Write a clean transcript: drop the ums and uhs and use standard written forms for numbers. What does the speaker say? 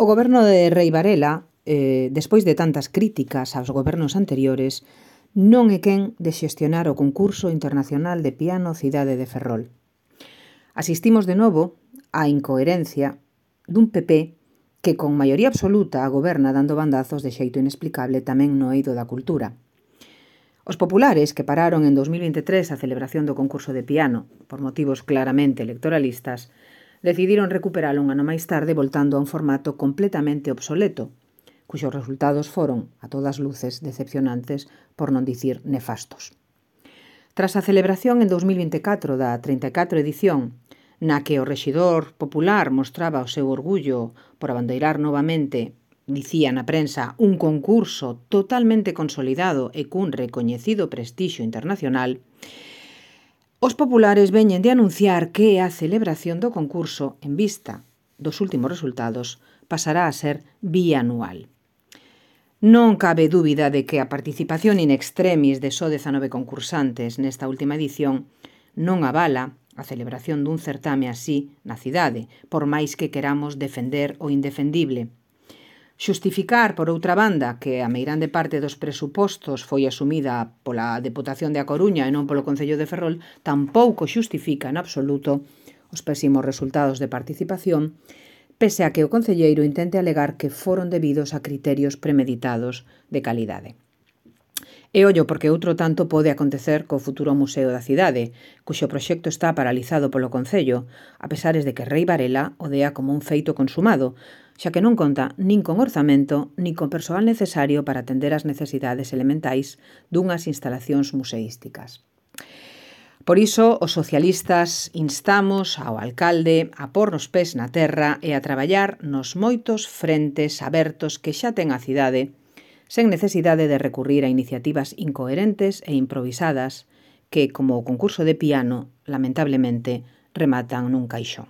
O goberno de Rei Varela, despois de tantas críticas aos gobernos anteriores, non é quen de xestionar o concurso internacional de piano Cidade de Ferrol. Asistimos de novo á incoherencia dun PP que con maioría absoluta goberna dando bandazos de xeito inexplicable tamén no eido da cultura. Os populares, que pararon en 2023 a celebración do concurso de piano por motivos claramente electoralistas, decidiron recuperalo un ano máis tarde voltando a un formato completamente obsoleto, cuxos resultados foron, a todas luces, decepcionantes, por non dicir nefastos. Tras a celebración en 2024 da 34 edición, na que o rexidor popular mostraba o seu orgullo por abandeirar novamente, dicía na prensa, un concurso totalmente consolidado e cun recoñecido prestixio internacional, os populares veñen de anunciar que a celebración do concurso, en vista dos últimos resultados, pasará a ser bianual. Non cabe dúbida de que a participación in extremis de só 19 concursantes nesta última edición non avala a celebración dun certame así na cidade, por máis que queramos defender o indefendible. Xustificar, por outra banda, que a meirande parte dos presupostos foi asumida pola Deputación de A Coruña e non polo Concello de Ferrol, tampouco xustifica en absoluto os pésimos resultados de participación, pese a que o concelleiro intente alegar que foron debidos a criterios premeditados de calidade. E ollo porque outro tanto pode acontecer co futuro Museo da Cidade, cuxo proxecto está paralizado polo Concello, a pesares de que Rei Varela o dea como un feito consumado, xa que non conta nin con orzamento nin con persoal necesario para atender as necesidades elementais dunhas instalacións museísticas. Por iso, os socialistas instamos ao alcalde a pôr os pés na terra e a traballar nos moitos frentes abertos que xa ten a cidade, sen necesidade de recurrir a iniciativas incoherentes e improvisadas que, como o concurso de piano, lamentablemente, rematan nun caixón.